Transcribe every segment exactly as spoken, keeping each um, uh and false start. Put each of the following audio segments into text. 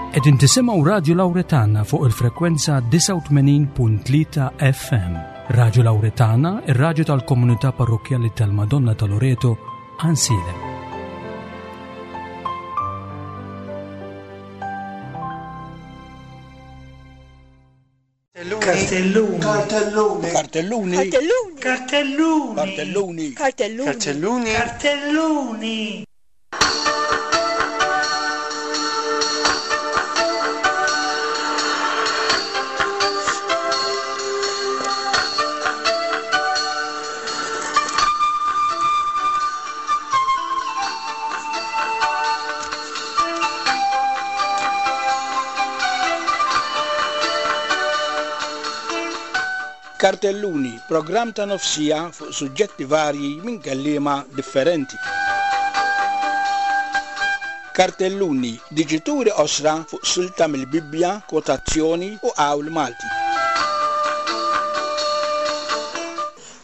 Qegħdin tisimgħu Radju Lawretana fuq il-frekwenza disgħa u tmenin punt tlieta F M. Radju Lawretana, ir-radju tal-komunità parrokkjali tal-Madonna ta' Loreto, Għajnsielem. Cartelluni. Cartelluni. Cartelluni. Cartelluni. Cartelluni. Cartelluni. Cartelluni. Cartelluni. Cartelluni, programm ta' nofsija fuq suġġetti varji minn kelliema differenti. Cartelluni, diġituri osra fuq silta mill-Bibbja, kwotazzjoni u qawl Malti.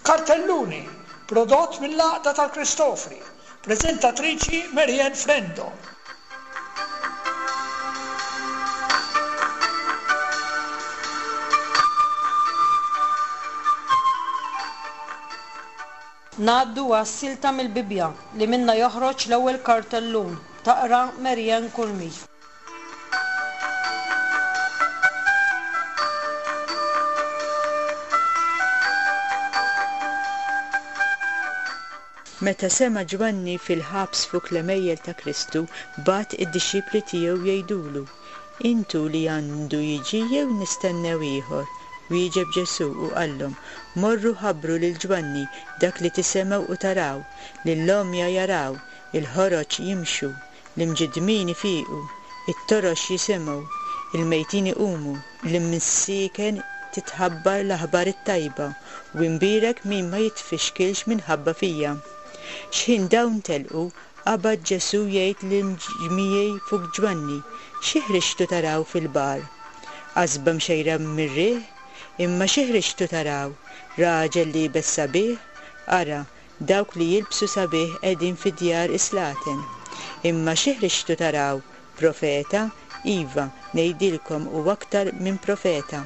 Cartelluni, prodott mill-Għaqda tal-Kristofri, prezentatriċi Marianne Frendo. Ngħaddu għas-silta mill-Bibbja li minna joħroġ l-ewwel kartellun, taqra Marianne Curmi. Meta sema' Ġwanni fil-ħabs fuq l-għemejjel ta' Kristu, bagħat id-dixxipli tiegħu jgħidulu: Intu li għandu jiġi jew nistennew ieħor? Wieġeb Ġesu u qallhom: Morru ħabbru lil Ġwanni dak li tisimgħu u taraw, lill-għomja jaraw, il-ħoroġ jimxu, l-imġiddmin ifiqu, it-torox jisimgħu, il-mejtin iqumu, l-imsieken titħabbar l-aħbar it-tajba, u imbierek min ma jitfixkilx minħabba fija. X'ħin dawn telqu, qabad Ġesu jgħid lill-ġmiegħi fuq Ġwanni: Xi ħriġtu taraw fil-bar? Qasba mxejra mir-riħ? Imma xi ħriġtu taraw? Raġel liebes sabiħ? Ara, dawk li jilbsu sabiħ qegħdin fi djar islaten. Imma xi ħriġtu taraw? Profeta? Iva, ngħidilkom u aktar minn profeta.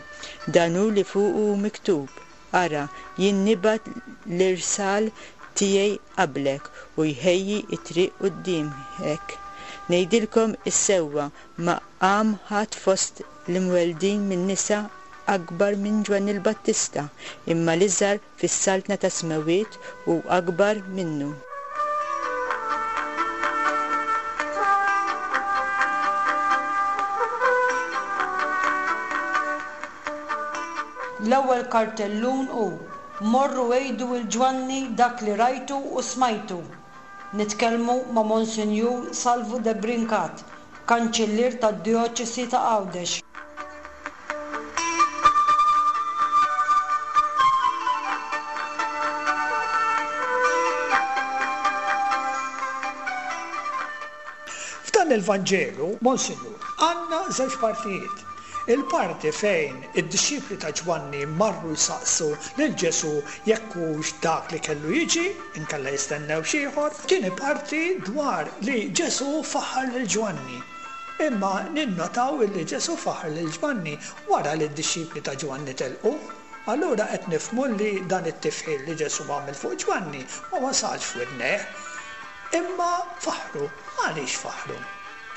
Dan hu li fuqu hu miktub. Ara, jien nibgħat l-irsal tiegħi qablek u jħejji t-triq quddiemek. Ngħidilkom is-sewwa, ma qam ħadd fost l-imweldin min-nisa akbar minn Ġwanni l-Battista, imma l-iżgħar fis-saltna tas-smewwiet hu akbar minnu. L-ewwel kartellun hu: Morru għidu lil Ġwanni dak li rajtu u smajtu. Nitkellmu ma' Monsinjur Salvu de Brincat, kanċillier tad-Djoċesi ta' Għawdex. F'dan il-Vanġelu, Monsinjur, għandna żewġ partijiet. Il-parti fejn id-dixxipli ta' Ġwanni marru jsaqsu lil Ġesu jekk hux dak li kellu jiġi, inkella jistennew xi ieħor. Tieni parti dwar li Ġesu faħħar lil Ġwanni. Imma ninnotaw illi Ġesu faħħar lil Ġwanni wara li d-dixxipli ta' Ġwanni telqu. Allura qed nifhmu li dan it-tifħir li Ġesu għamel fuq Ġwanni ma wasalx f'widnejh. Imma faħħru. Għaliex faħħru?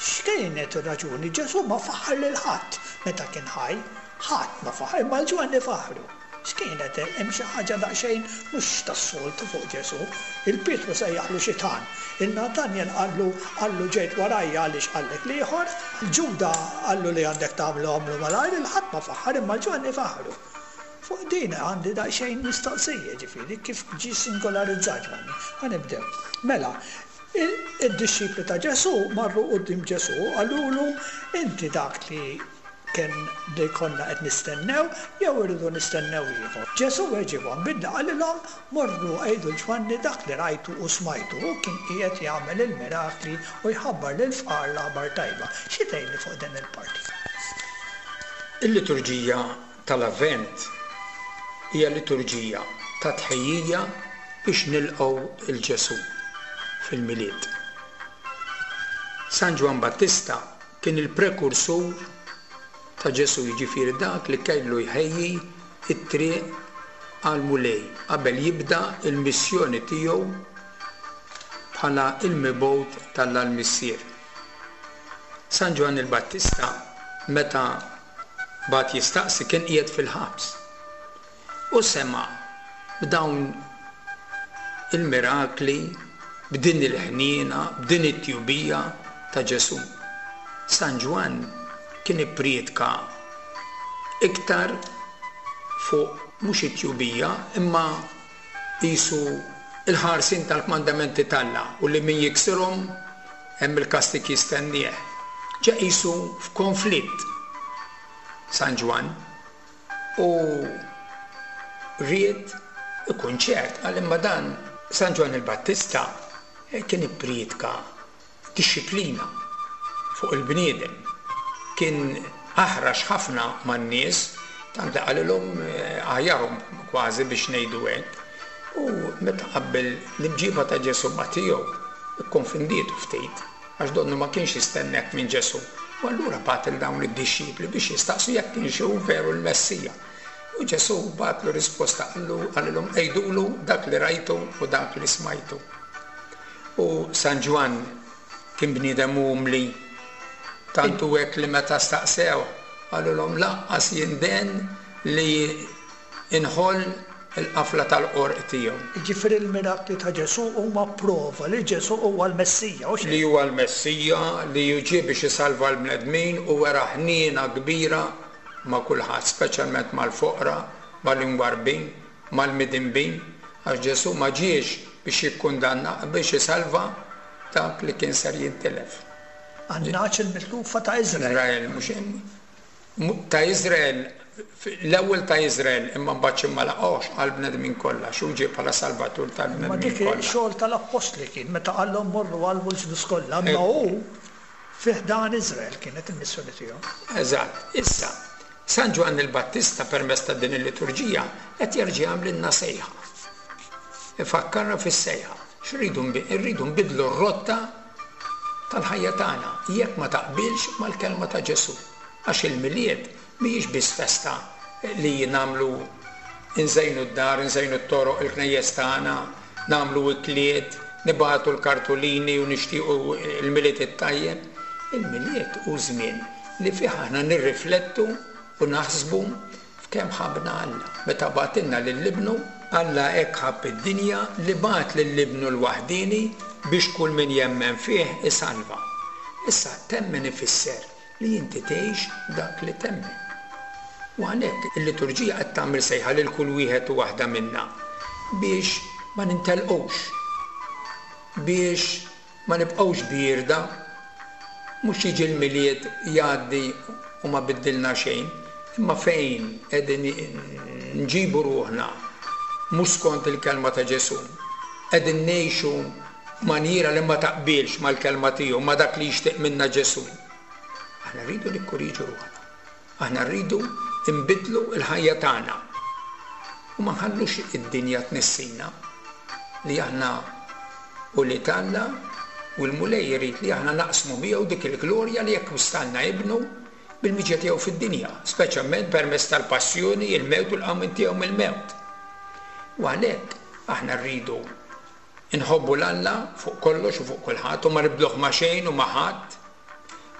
X'kienet ir-raġuni? Ġesu ma faħħar lil ħadd meta kien ħaj. Ħadd ma faħħar, imma l-Ġwanni faħħru. X'kienet? Hemm xi ħaġa daqsxejn mhux tas-soltu fuq Ġesu. Il-Pietru sejjaħlu xitan. Il-Natanjel qallu, qallu ġejt warajja għaliex qallek l-ieħor. Il-Ġuda qallu li għandek tagħmlu għamlu malajr, il-ħadd ma faħħar, imma l-Ġwanni faħħru. Fuq din għandi daqsxejn mistoqsija, ġifieri kif ġie singolarizzat Ġwanni. Ħa nibdew. Mela, il-, id-dixxipli ta' Ġesu marru quddiem Ġesu qalulu: Inti dak li kien li konna qed nistennew jew irridu nistennew ieħor. Ġesu weġibhom billi qalilhom: Morru għidu l Ġwanni dak li rajtu u smajtu. Hu kien qiegħed jagħmel il-mirakli u jħabbar lil fqar l-aħbar tajba. Xi tgħidli fuq din il-parti? Il-liturġija tal-Avvent hija liturġija ta' tħejjija biex nilqgħu il Ġesu fil-Milied. San Ġwann Battista kien il-prekursur ta' Ġesù, jiġifieri dak li kellu jħejji t-triq għall-Mulej qabel jibda l-missjoni tiegħu bħala l-mibgħut t'Alla l-Missier. San Ġwann il-Battista meta bagħat jistaqsi kien qiegħed fil-ħabs u sema' b'dawn il-mirakli, b'din il-ħniena, b'din it-tjubija ta' Ġesù. San Ġwann kien ipprietka iktar fuq mhux it-tjubija imma qisu il-ħarsien tal-kmandamenti t'Alla u li min jiksirhom hemm il-kastig jistennieh. Ġa qisu f'konflitt San Ġwann u ried ikun ċert, qal imma dan San Ġwann il-Battista kien ipprietka dixxiplina fuq il-bniedem, kien aħrax ħafna man-nies, tant li qalilhom aħjarhom kważi biex ngħidu hekk. U meta qabbel l-imġiba ta' Ġesù ma' tiegħu, ikkonfondietu ftit, għax donnu ma kienx jistenna hekk minn Ġesù. U allura bagħat lil dawn id-dixxipli biex jistaqsu jekk kienx hu veru l-Messija. U Ġesù bagħatlu risposta, qallu, qalilhom għidulu dak li rajtu u dak li smajtu. U San Ġwann kien bniedem umli, tant hu hekk li meta staqsew qalulhom lanqas jinden li inħoll il-qafla tal-qorq tiegħu. Jiġifieri l-mirakli ta' Ġesù huma prova li Ġesù huwa l-Messija, hux hekk? Li huwa l-Messija, li ġie biex isalva l-bnedmin u wera ħniena kbira ma' kulħadd, speċjalment mal-foqra, mal-imwarbin, mal-midinbin, għax Ġesù ma ġiex biex jikkundanna, biex isalva dak li kien ser jintilef. Għan-nagħaġ il-mitlufa ta' Iżrael. Iżrael, mhux hemm. Ta' Iżrael, l-ewwel ta' Iżrael, imma mbagħad xi ma laqgħux għall-bnedmin kollha, x'hu ġie bħala salvatur tal-bnedmin Ma dik kollha. xogħol tal-appostli kien meta qallhom morru għallmu l-ġnus kollha, imma Ekku. hu fi ħdan Iżrael kienet il-missjoni tiegħu. Eżatt. Issa, San Ġwann il-Battista permezz ta' din il-liturġija qed jerġa' jagħmlilna sejħa. Ifakkarna fis-sejħa. X'rridu nbi-, irridu nbidlu r-rotta tal-ħajja tagħna jekk ma taqbilx mal-kelma ta' Ġesù. Għax il-Milied mhijiex biss festa li nagħmlu nżejnu d-dar, nżejnu t-toroq, il-knejjes tagħna, nagħmlu ikliet, nibagħtu l-kartolini u nixtiequ il-Milied it-tajjeb. Il-Milied hu żmien li fih aħna nirriflettu u naħsbu f'kemm ħabbna Alla. Meta bagħtilna lil Ibnu, Alla hekk ħabb id-dinja li bagħat lil Ibnu l-waħdieni biex kull min jemmen fih isalva. Issa temmen ifisser li inti tgħix dak li temmen. U għalhekk il-liturġija qed tagħmel sejħa lil kull wieħed u waħda minna biex ma nintelqux, biex ma nibqgħux bierda, mhux jiġi l-Milied jgħaddi u ma biddilna xejn, imma fejn qegħdin nġibu ruħna mhux skont il-kelma ta' Ġesù, qegħdin ngħixu maniera li ma taqbilx mal-kelma tiegħu, ma dak li jixtieq minna Ġesù. Aħna rridu nikkoriġu ruħna. Aħna rridu nbidlu l-ħajja tagħna. U ma nħallux id-dinja tnissina li aħna u li t'Alla u l-Mulej jrid li aħna naqsmu miegħu dik il-glorja li akkwistalna ibnu bil-miġja tiegħu fid-dinja, speċjalment permezz tal-passjoni, il-mewt u l-qawmien tiegħu mill-mewt. U għalhekk aħna rridu nħobbu l-Alla fuq kollox u fuq kulħadd u ma nibdluh ma' xejn u ma' ħadd.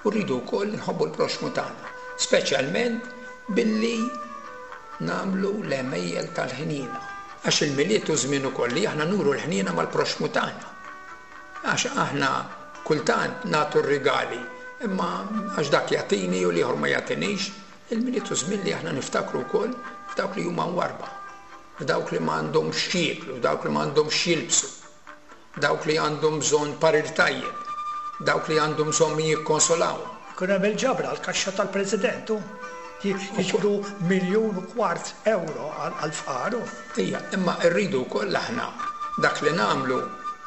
U rridu wkoll nħobbu l-proxxmu tagħna, speċjalment billi nagħmlu l-għemejjel tal-ħniena. Għax il-Milied hu żmien ukoll li aħna nuru l-ħniena mal-proxxmu tagħna. Għax aħna kultant nagħtu r-rigali, imma għax dak jagħtini u l-ieħor ma jagħtinix, il-Milied hu żmien li aħna niftakru wkoll f'dawk li huma mwarba, f'dawk li ma għandhomx x'jieklu, dawk li ma għandhomx x'jilbsu, dawk li għandhom bżonn parir tajjeb, dawk li għandhom bżonn min jikkonsolawhom. Ikun hemm il-ġabra għall-kaxxa tal-President, hu. Jiġbru miljun u kwart euro għall-fqar, hu. Ija, imma rridu wkoll aħna dak li nagħmlu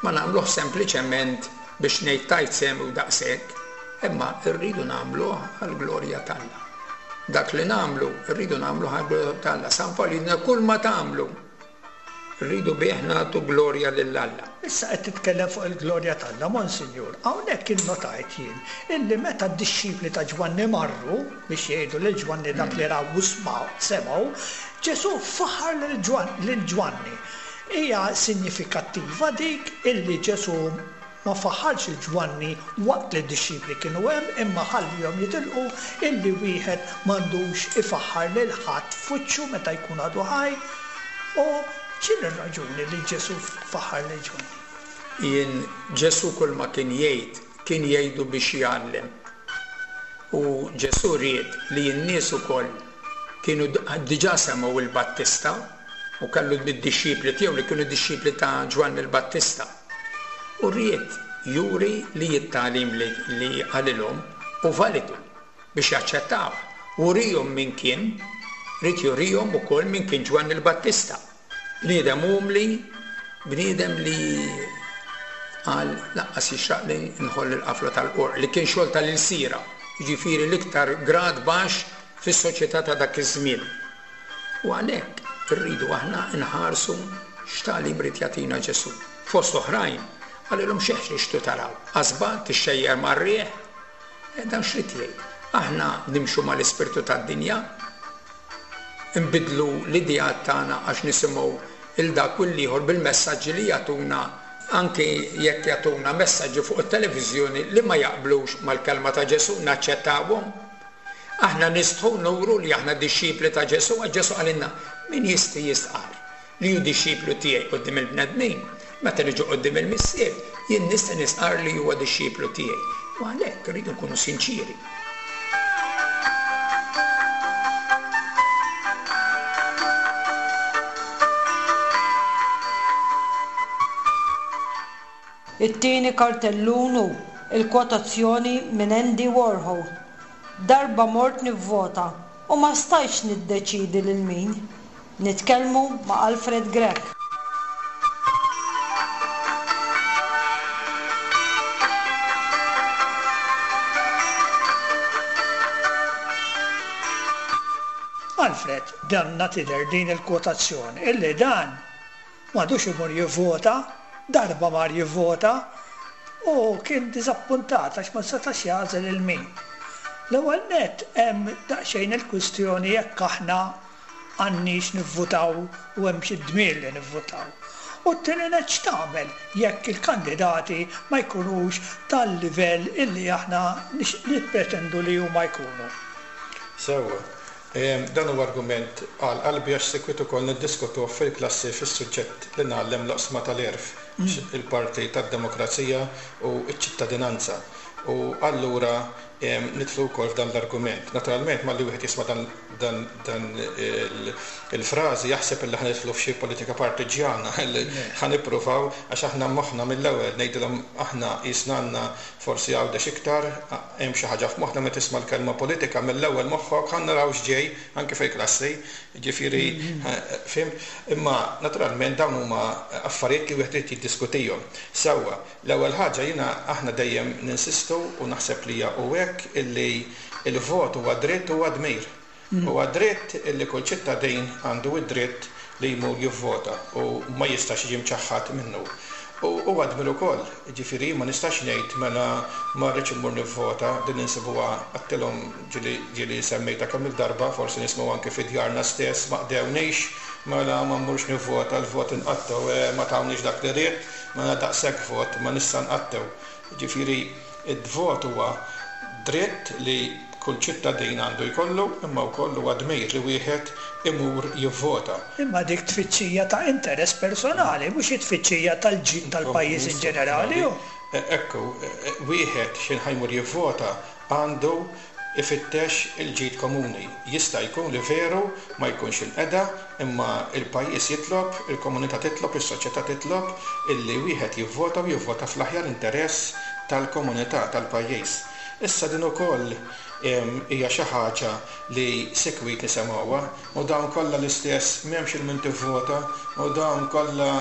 ma nagħmluh sempliċement biex ngħid tajt sehem u daqshekk, imma rridu nagħmluh għall-glorja t'Alla. Dak li nagħmlu rridu nagħmluh għall-glorja t'Alla. San Pawl jgħidilna kull ma tagħmlu Rridu bih nagħtu glorja lil Alla. Issa qed titkellem fuq il-glorja t'Alla, Monsinjur. Hawnhekk innotajt jien illi meta d-dixxipli ta' Ġwanni marru biex jgħidu lil Ġwanni dak li raw u semgħu, Ġesù faħar lil Ġwanni. Hija sinjifikattiva dik illi Ġesù ma faħarx lil Ġwanni waqt li d-dixxipli kienu hemm, imma ħallihom jitilqu illi wieħed m'għandux ifaħħar lil ħadd f'wiċċu meta jkun għadu ħaj. U x'inhi r-raġuni li Ġesù faħar lil Ġwanni? Jien Ġesù kull ma kien jgħid kien jgħidu biex jgħallem. U Ġesù ried li n-nies ukoll kienu diġà semgħu il-Battista u kellu d-dixxipli tiegħu li kienu dixxipli ta' Ġwanni l-Battista. U ried juri li t-tagħlim li qalilhom hu validu biex jaċċettaw. Urihom min kien, ried jurihom ukoll min kien Ġwanni l-Battista. Bniedem umli, bniedem li qal laqqas jixraq li nħoll il-qafla tal-qorq li kien xogħol tal-ilsira, jiġifieri l-iktar grad baxx fis-soċjetà ta' dak iż-żmien. U għalhekk irridu aħna nħarsu x'tagħlim ried jagħtina Ġesù. Fost oħrajn qalilhom xi ħriġtu taraw, qasba tixxejjer mar-riħ, dan x'rid jgħid? Aħna nimxu mal-ispirtu tad-dinja, nbidlu l-ideat tagħna għax nisimgħu il dak u l-ieħor bil-messaġġi li jagħtuna, anke jekk jagħtuna messaġġi fuq it-televiżjoni li ma jaqblux mal-kelma ta' Ġesù, naċċettawhom. Aħna nistħu nuru li aħna dixxipli ta' Ġesù, għax Ġesù qalilna min jistħi jistqarr li hu dixxiplu tiegħi quddiem il-bnedmin, meta niġu quddiem il-Missier, jien nista' nistqarr li huwa dixxiplu tiegħi. U għalhekk irridu nkunu sinċieri. It-tieni kartellun hu il-kwotazzjoni minn Andy Warhol. Darba mort nivvota u ma stajtx niddeċidi lil min. Nitkellmu ma' Alfred Grech. Alfred, danna tidher din il-kwotazzjoni illi dan m'għadux imur jivvota, darba mar jivvota u kien diżappuntat għax ma setax jagħżel il min. L-ewwel nett hemm daqsxejn il-kwistjoni jekk aħna għandniex nivvutaw u hemm xi dmir li nivvutaw. U t-tieni nett x'tagħmel jekk il-kandidati ma jkunux tal-livell illi aħna nippretendu li huma jkunu. Sewwa, dan huwa argument għal qalbi għax sikwit ukoll niddiskutuh fil-klassi fis-suġġett li ngħallem l-oqsma tal-għerf, il-parti tad-demokrazija u ċ-ċittadinanza. U allura nidħlu wkoll f'dan l-argument. Naturalment malli wieħed jisma' dan dan dan il-frażi jaħseb illi ħa nidħlu f'xi politika partiġjana li ħa nippruvaw għax aħna moħħna mill-ewwel ngħidilhom aħna qisna għandna forsi Għawdex iktar, hemm xi ħaġa f'moħħna meta tisma' l-kelma politika mill-ewwel moħħok ħa naraw x'ġej anke fil-klassi, jiġifieri fhimt? Imma naturalment dawn huma affarijiet li wieħed irid jiddiskutihom. Sewwa, l-ewwel ħaġa jiena aħna dejjem ninsistu u naħseb li hija hu hekk illi l-vot huwa dritt huwa dmir. Huwa dritt illi kull ċittadin għandu d-dritt li jmur jivvota u ma jistax jiġi mċaħħad minnu. U huwa dmir ukoll, jiġifieri ma nistax ngħid mela ma rridx immur nivvota, din insibuha għedtilhom ġieli ġieli semmejtha kemm il-darba, forsi nisimgħu anke fi djarna stess ma qdewniex, mela ma mmurx nivvota, l-vot inqattgħu, ma tawniex dak li ridt, mela daqshekk vot ma nista' nqattgħu. Jiġifieri d-vot huwa dritt li kull ċittadin għandu jkollu, imma wkoll huwa dmir li wieħed imur jivvota. Imma dik tfittxija ta' interess personali, mhux it-tfittxija tal-ġid tal-pajjiż in ġenerali, hu. Ekku, wieħed x'ħin ħa jmur jivvota għandu ifittex il-ġid komuni. Jista' jkun li veru ma jkunx inqeda, imma l-pajjiż jitlob, il-komunità titlob, is-soċjetà titlob illi wieħed jivvota u jivvota fl-aħjar interess tal-komunità, tal-pajjiż. Issa din ukoll hija xi ħaġa li sikwit nisemgħuha, u dawn kollha l-istess, m'hemmx il min tivvota, u dawn kollha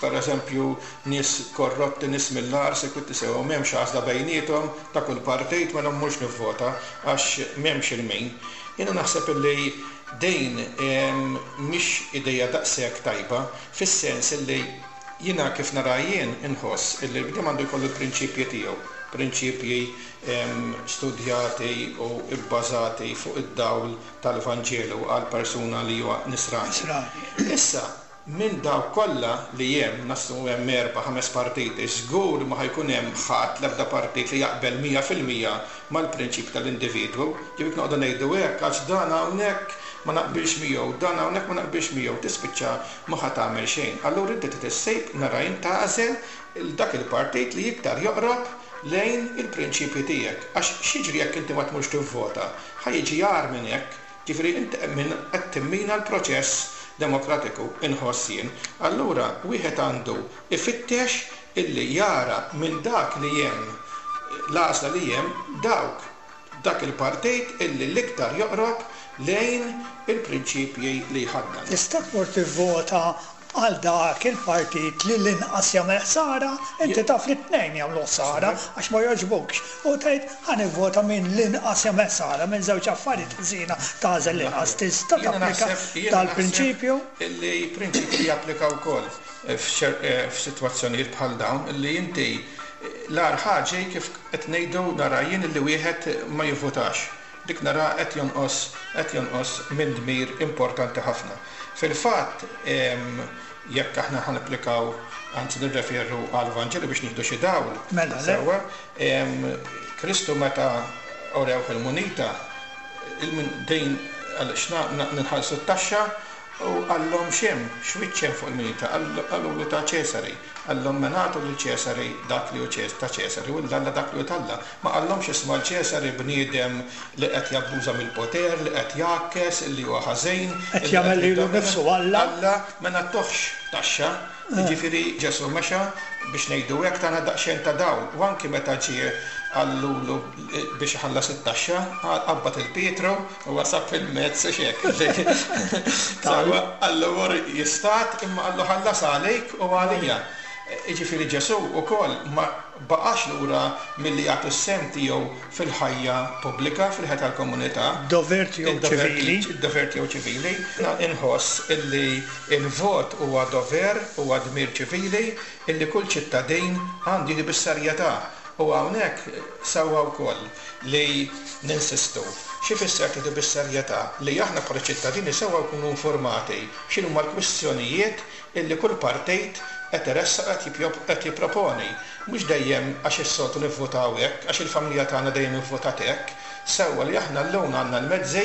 pereżempju nies korrotti, nies mill-agħar, sikwit nisimgħu m'hemmx għażla bejniethom ta' kull partit, mela mmurx nivvota għax m'hemmx il min. Jiena naħseb illi Din mhix idea daqshekk tajba, fis-sens illi jiena kif nara jien inħoss illi l-bniedem għandu jkollu l-prinċipji tiegħu, prinċipji studjati u bbażati fuq id-dawl tal-Vanġelu għal persuna li huwa nisrani. Issa, minn dawk kollha li hemm, naslu hemm erba' ħames partiti, żgur ma ħa jkun hemm ħadd, l-ebda partit li jaqbel mija fil-mija mal-prinċipji tal-individwu. Ġifieri noqogħdu ngħidu hekk għax dan hawnhekk ma naqbilx miegħu, dan hawnhekk ma naqbilx miegħu, tispiċċa ma ħa tagħmel xejn. Allura inti trid issib, nara jien, tagħżel dak il-partit li iktar joqrob lejn il-prinċipji tiegħek. Għax x'jiġri jekk inti ma tmurx tivvota? Ħa jiġi agħar minn hekk, ġifieri inti qed timmina l-proċess demokratiku, inħoss jien. Allura wieħed għandu ifittex illi jara minn dak li hemm, l-għażla li hemm, dawk dak il-partit illi l-iktar joqrob lejn il-prinċipji li jħaddan. Tista' tmur tivvota għal dak il-partit li l-inqas jagħmel ħsara, inti taf li t-tnejn jagħmlu ħsara għax ma jogħġbukx, u tgħid ħa nivvota minn l-inqas jagħmel ħsara, minn żewġ affarijiet ħżiena tagħżel l-inqas. Tista' tapplika dal-prinċipju? Illi prinċipji japplika wkoll f'sitwazzjonijiet bħal dawn, illi inti l-agħar ħaġa kif qed ngħidu nara jien illi wieħed ma jivvutax. Dik nara qed jonqos, qed jonqos minn dmir importanti ħafna. Fil-fatt, jekk aħna ħanapplikaw, anzi nirreferu għal Vanġelu biex nieħdu xi dawl, sewwa, Kristu meta orewh il-munita, din għaliex ninħallsu t-taxxa, u qallhom x'hemm, x'wiċċ hemm fuq il-munita, qalulu ta' Ċesari, qallhom ma nagħtu lil Ċesari dak li hu ta' Ċesari u lil Alla dak li hu t'Alla. Ma qallhomx isma' l-Ċesari bniedem li qed jabbuża mill-poter, li qed jgħakkes, li huwa ħażin, qed jagħmel lilu nnifsu Alla. Alla ma nagħtuhx taxxa. Jiġifieri Ġesù mexa biex ngħidu hekk tagħna daqsxejn ta' dawl, u anki meta ġie qallulu biex iħallas it-taxxa, qabad il-Pietru u wasab fil-mezz u x'hekk. Sewwa, qallu mur jistat, imma qallu ħallas għalik u għalija. Jiġifieri Ġesù wkoll ma baqax lura milli jagħtu s-sehem tiegħu fil-ħajja pubblika, fil-ħajja tal-komunità. Dover tiegħu ċivili. Dover tiegħu ċivili. Inħoss illi il-vot huwa dover, huwa dmir ċivili illi kull ċittadin għandu jieħdu bis-serjetà. U hawnhekk sewwa wkoll li ninsistu. Xi fisser tieħdu bis-serjetà? Li aħna bħala ċittadini sewwa nkunu informati x'inhuma l-kwistjonijiet illi kull partit qed iressaq, qed jipproponi. Mhux dejjem għax is-soltu nivvotaw hekk, għax il-familja tagħna dejjem ivvotat hekk. Sewwa li aħna llum għandna l-mezzi,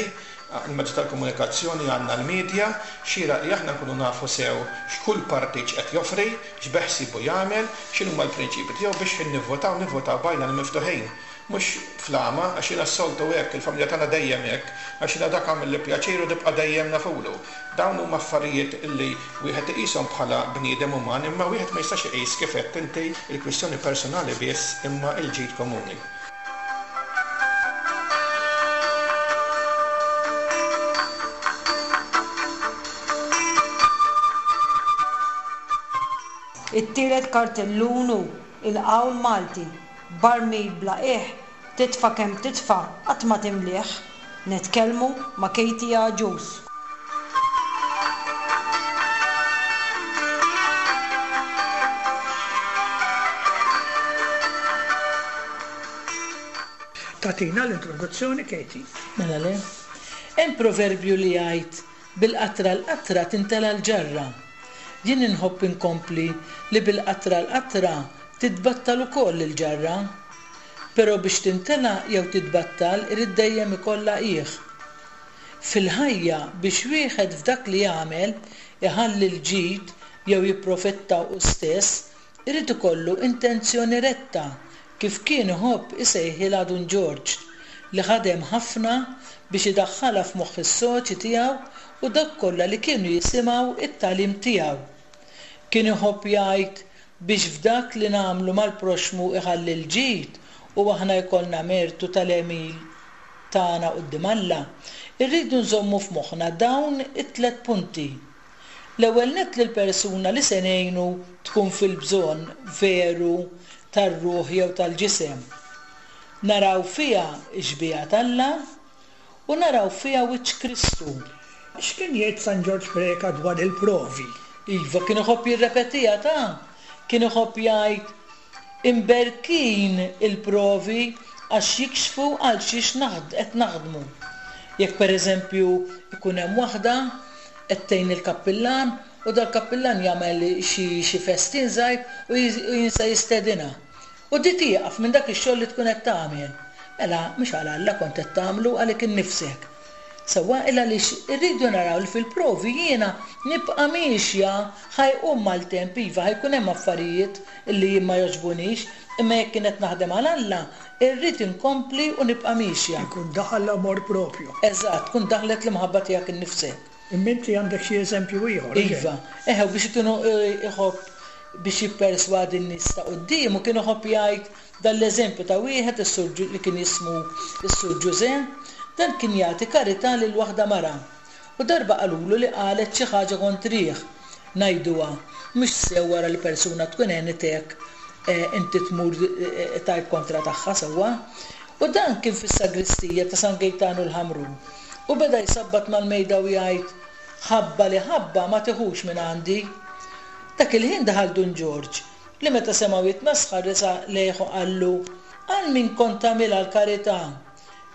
il-mezzi tal-komunikazzjoni, għandna l-medja, xieraq li aħna nkunu nafu sew x'kull partit x'qed joffri, x'beħsiebu jagħmel, x'inhuma l-prinċipji tiegħu biex ħin nivvotaw, nivvotaw b'għajna l-miftuħin. Mhux flama, għax jiena s-soltu hekk, il-familja tagħna dejjem hekk, għax jiena dak għamel li pjaċir u nibqa' dejjem nafulu. Dawn huma affarijiet li wieħed iqishom bħala bniedem uman, imma wieħed ma jistax iqis kif qed inti il-kwistjoni personali biss imma l-ġid komuni. It-tielet kartellun hu il-qawl Malti, barmil bla qiegħ, titfa' kemm titfa' qatt ma timlih. Nitkellmu ma' Katie Agius. Tatina l-introduzzjoni, Katie. Mela le. Hemm proverbju li jgħid bil-qatra l-qatra tintela l-ġarra. Jien inħobb inkompli li bil-qatra l-qatra titbattal ukoll il-ġarra. Però biex tintela jew titbattal irid dejjem ikollha qiegħ. Fil-ħajja biex wieħed f'dak li jagħmel iħalli l-ġid jew jipprofetta hu stess, irid ikollu intenzjoni retta kif kien iħobb isejħilha Dun Ġorġ, li ħadem ħafna biex idaħħalha f'moħħ is-soċi tiegħu u dak kollha li kienu jisimgħu it-tagħlim tiegħu. Kien iħobb jgħid biex f'dak li nagħmlu mal-proxmu iħalli l-ġid u aħna jkollna mertu tal-għemil tagħna quddiem Alla, irridu nżommu f'moħħna dawn it-tliet punti. L-ewwel nett li l-persuna li se ngħinu tkun fil-bżonn veru tar-ruħ jew tal-ġisem. Naraw fiha x-xbieha t'Alla u naraw fiha wiċċ Kristu. X'kien jgħid San Ġorġ Preca dwar il-provi? Iva, kien iħobb jirrepetiha ta' kien iħobb jgħid imberkin il-provi għax jikxfu għal xiex qed naħdmu. Jekk pereżempju ikun hemm waħda qed tgħin il-kappillan u dal-kappillan jagħmel xi festin żgħir u jinsa jistedinha. U di tieqaf minn dak ix-xogħol li tkun qed tagħmel. Mela mhux għal Alla kont qed tagħmlu għalik innifsek. Sewwa il għaliex irridu naraw li fil-provi jiena nibqa' miexja ħa jqum maltemp iva ħa jkun hemm affarijiet illi jien ma jogħġbunix, imma jekk kien qed naħdem għal Alla, irrid inkompli u nibqa' miexja. Ikun daħal l-amor propju. Eżatt, tkun daħlet l-imħabba tiegħek innifsek. Imma inti għandek xi eżempju ieħor. Iva, eħe biex ikunu iħobb biex jipperswadi n-nies ta' quddiemu kien iħobb jgħid dan l-eżempju ta' wieħed is-sur li kien jismu s-Sur Ġużè, dan kien jagħti karità lil waħda mara. U darba qalulu li qalet xi ħaġa kontrih. Ngħiduha, mhux sew wara li persuna tkun għenitek inti tmur tgħid kontra tagħha sewwa. U dan kien fis-sagristija ta' San Gejtanu l-Ħamrun. U beda jsabbat mal-mejda u jgħid ħabba li ħabba ma tiħux minn għandi. Dak il-ħin daħal Dun Ġorġ li meta semgħu jitmesħar resaq lejh u qallu għal min kont tagħmilha l-karità?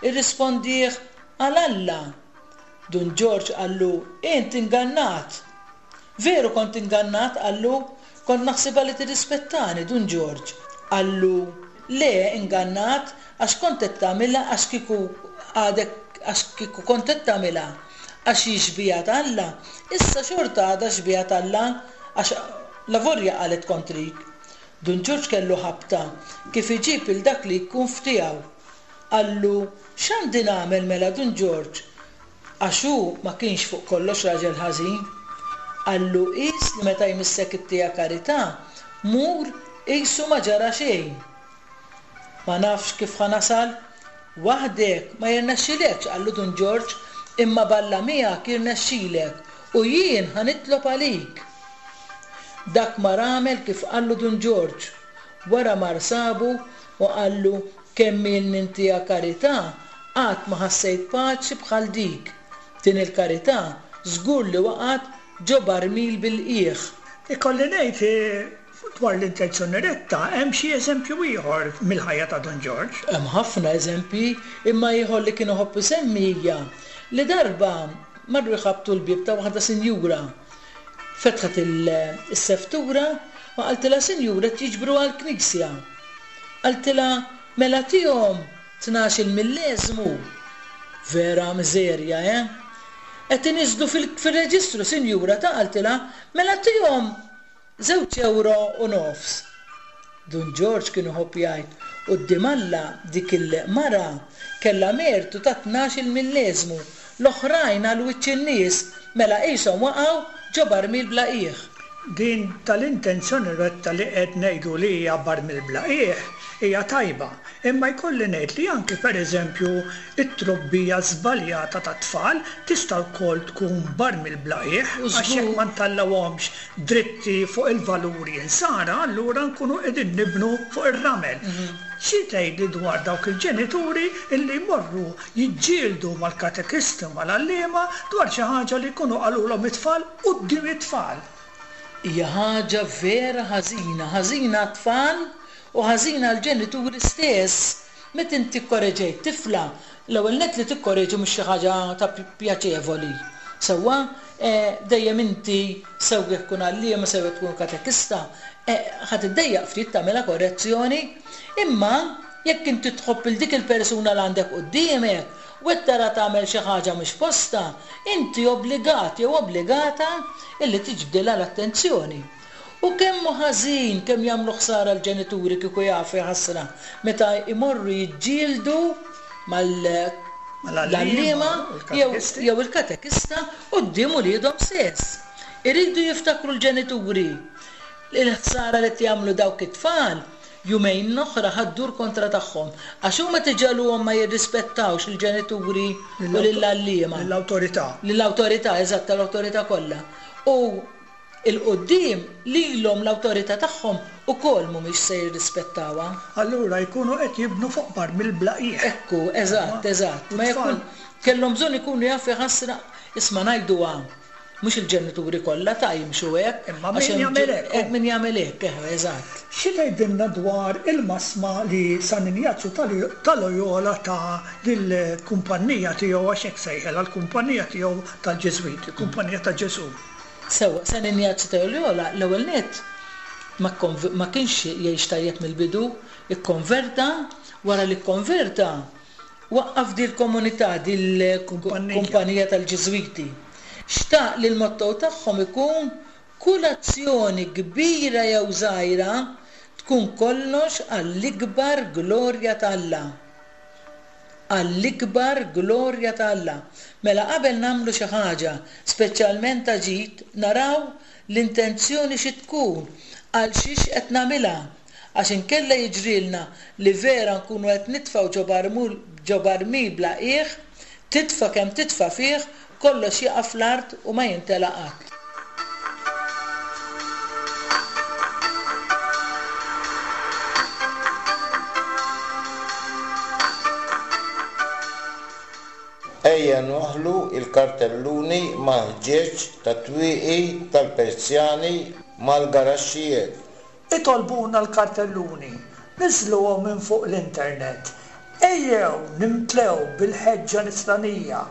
Irrispondih għal Alla. Dun Ġorġ qallu int ingannat. Veru kont ingannat qallu kont naħsibha li tirrispettani Dun Ġorġ. Qallu le ingannat għax kont qed tagħmilha għax kieku għadek għax kieku kont qed tagħmilha għax hi xbieha t'Alla, issa xorta għadha xbieha t'Alla għax lavorja qalet kontrik. Dun Ġorġ kellu ħabta kif iġib il dak li jkun f'tiegħu. Qallu x'għandi nagħmel mela Dun Ġorġ għax hu ma kienx fuq kollox raġel ħażin. Qallu qis li meta jmissek it-tija karità, mur qisu ma ġara xejn. Ma nafx kif ħa nasal, waħdek ma jirnexxilekx qallu Dun Ġorġ, imma b'Alla miegħek jirnexxilek u jien ħa nitlob għalik. Dak mar għamel kif qallu Dun Ġorġ. Wara mar sabu u qallu kemm ilni ntiha karità qatt ma ħassejt paċi bħal dik. Din il-karità żgur li waqgħet ġo barmil bil-qiegħ. Ikolli ngħid dwar l-intenzjoni retta hemm xi eżempju ieħor mill-ħajja ta' Dun Ġorġ. Hemm ħafna eżempji, imma ieħor li kien iħobb isemmi hija li darba marru jħabbtu l-bieb ta' waħda sinjura. Fetħet is-seftura u qaltilha sinjura qed jiġbru għall-knisja. Qaltilha mela tihom tnax-il milleżmu. Vera miżerja, eh? Qed iniżżlu fil-reġistru sinjura ta' qaltilha mela tihom żewġ euro u nofs. Dun Ġorġ kien iħobb jgħid quddiem Alla dik il-mara kellha mertu ta' tnax-il milleżmu, l-oħrajn għal wiċċ in-nies mela qishom waqgħu ġo barmil bla qiegħ. Din tal-intenzjoni retta li qed ngħidu li hija barmil bla qiegħ hija tajba, imma jkolli ngħid li anki pereżempju it-trobbija żbaljata tat-tfal tista' wkoll tkun barmil bla qiegħ għax jekk ma ntallawhomx dritti fuq il-valuri insara, allura nkunu qegħdin nibnu fuq ir-ramel. Xi tgħidli dwar dawk il-ġenituri illi jmorru jiġġieldu mal-katekisti u mal-għalliema dwar xi ħaġa li jkunu qalulhom it-tfal quddiem it-tfal? Hija ħaġa vera ħażina, ħażina għat-tfal u ħażina għall-ġenituri stess. Meta inti kkoreġejt tifla, l-ewwel nett li tikkoreġi mhux xi ħaġa ta' pjaċevoli. Sewwa, dejjem inti sew jekk tkun għalliema sew jekk tkun katekista, ħa tiddejjaq ftit tagħmilha korrezzjoni, imma jekk inti tħobb il dik il-persuna li għandek quddiemek u qed tara tagħmel xi ħaġa mhux f'postha, inti obbligat jew obbligata illi tiġbdilha l-attenzjoni. U kemm hu ħażin, kemm jagħmlu ħsara l-ġenituri kieku jafu ħasra meta jmorru jiġġieldu mal-għalliema jew il-katekista quddiem uliedhom stess. Iridu jiftakru l-ġenituri l-ħsara li qed jagħmlu dawk it-tfal jumejn oħra ħa ddur kontra tagħhom għax huma tiġegħluhom ma jirrispettawx il-ġenituri u lill-għalliema. Lill-awtorità. Lill-awtorità, eżatt, tal-awtorità kollha. U 'il quddiem lilhom l-awtorità tagħhom ukoll mhumiex se jirrispettawha. Allura jkunu qed jibnu fuq barmil bla qiegħ. Ekku, eżatt, eżatt. Ma jkun kellhom bżonn ikunu jafu ħasra, isma' ngħiduha, mhux il-ġenituri kollha ta' jimxu hekk. Imma min jagħmel hekk. Min jagħmel hekk, eżatt. Xi tgħidilna dwar il-masma li San Injazju ta' Loyola ta' lill-kumpanija tiegħu, għax hekk sejħelha l-kumpanija tiegħu tal-Ġiżwiti, il-kumpanija ta' Ġesù. Sewwa, San Injazju ta' Loyola l-ewwel nett ma kienx jgħix tajjeb mill-bidu, ikkonverta, wara li kkonverta waqqaf dil-komunità, dil-kumpanija tal-Ġiżwiti. Xtaq li l-motto tagħhom ikun kull azzjoni kbira jew żgħira tkun kollox għall-ikbar glorja ta' Alla. Għall-ikbar glorja ta' Alla. Mela qabel nagħmlu xi ħaġa, speċjalment ta' ġid, naraw l-intenzjoni xi tkun, għal xiex qed nagħmilha, għax inkella jiġrilna li vera nkunu qed nitfgħu ġo barmil bla qiegħ, titfa' kemm titfa' fih, kollox jaqa' fl-art u ma jintela' qatt. Ejja nwaħħlu l-kartelluni mal-ħġieġ tat-twieqi tal-Persjani mal-garaxxijiet. Itolbuna l-kartelluni, niżluhom minn fuq l-internet. Ejjew nimtlew bil-ħeġġa nisranija,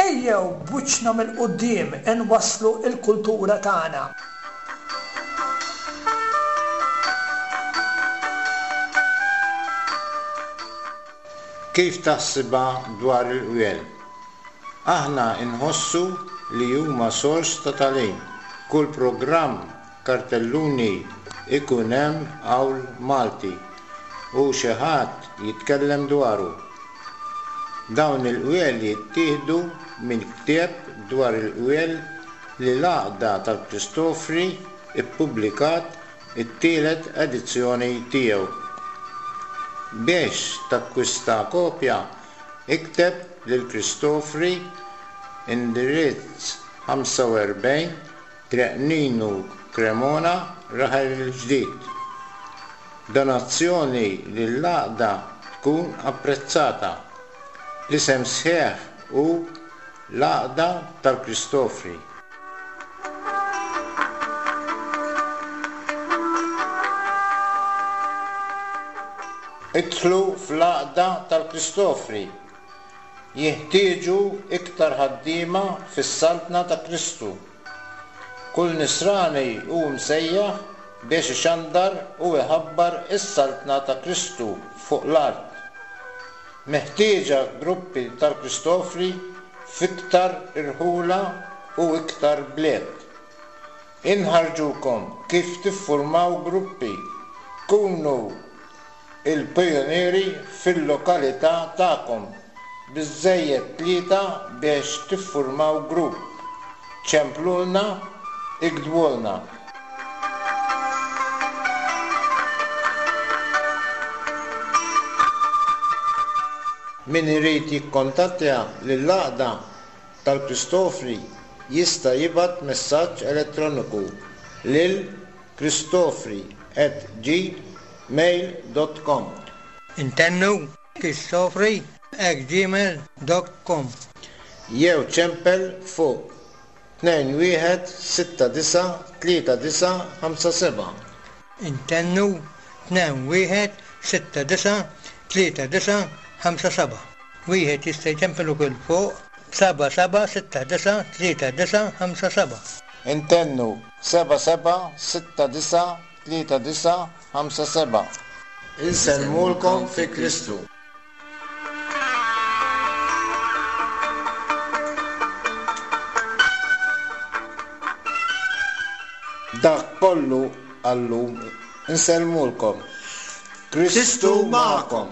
ejjew b'wiċċna mill-quddiem inwasslu l-kultura tagħna. Kif taħsibha dwar il-qwiel? Aħna nħossu li huma sors ta' tagħlim. Kull programm kartelluni ikun hemm qawl Malti u xi ħadd jitkellem dwaru. Dawn il-qwiel jittieħdu minn ktieb dwar il-qwiel li l-Għaqda tal-Kristofri ippubblikat it-tielet edizzjoni tiegħu. Biex takkwista kopja, ikteb lil Kristofri, indirizz ħamsa u erbgħin, Triq Ninu, Cremona, Raħel il-Ġdid. Donazzjoni lill-għaqda tkun apprezzata. L-isem sħiħ hu l-Għaqda tal-Kristofri. Idħlu fl-Għaqda tal-Kristofri. Jeħtieġu iktar ħaddiema fis-Saltna ta' Kristu. Kull nisrani hu msejjaħ biex ixandar u iħabbar is-Saltna ta' Kristu fuq l-art. Meħtieġa gruppi tal-Kristofri f'iktar irħula u iktar bliet. Inħarġukom kif tiffurmaw gruppi. Kunu il-pijunieri fil-lokalità tagħkom. Biżżejjed tlieta biex tiffurmaw grupp. Ċemplulna, iktbulna. Min irid jikkontattja lill-Għaqda tal-Kristofri jista' jibgħat messaġġ elettroniku lil kristofri at gmail dot com. Intennu kristofri at gmail dot com. Jew ċempel fuq tnejn wieħed sitta disa' tlieta disa' ħamsa seba'. Intennu tnejn wieħed sitta disa' tlieta disa' ħamsa seba'. Wieħed jista' jċempel ukoll fuq seba' seba' sitta disa' tlieta disa' ħamsa seba'. Intennu seba' seba' sitta disa' tlieta disa' ħamsa seba'. Insellmulkom fi Kristu. Dak kollu għallum insellmulkom. Kristu magħkom.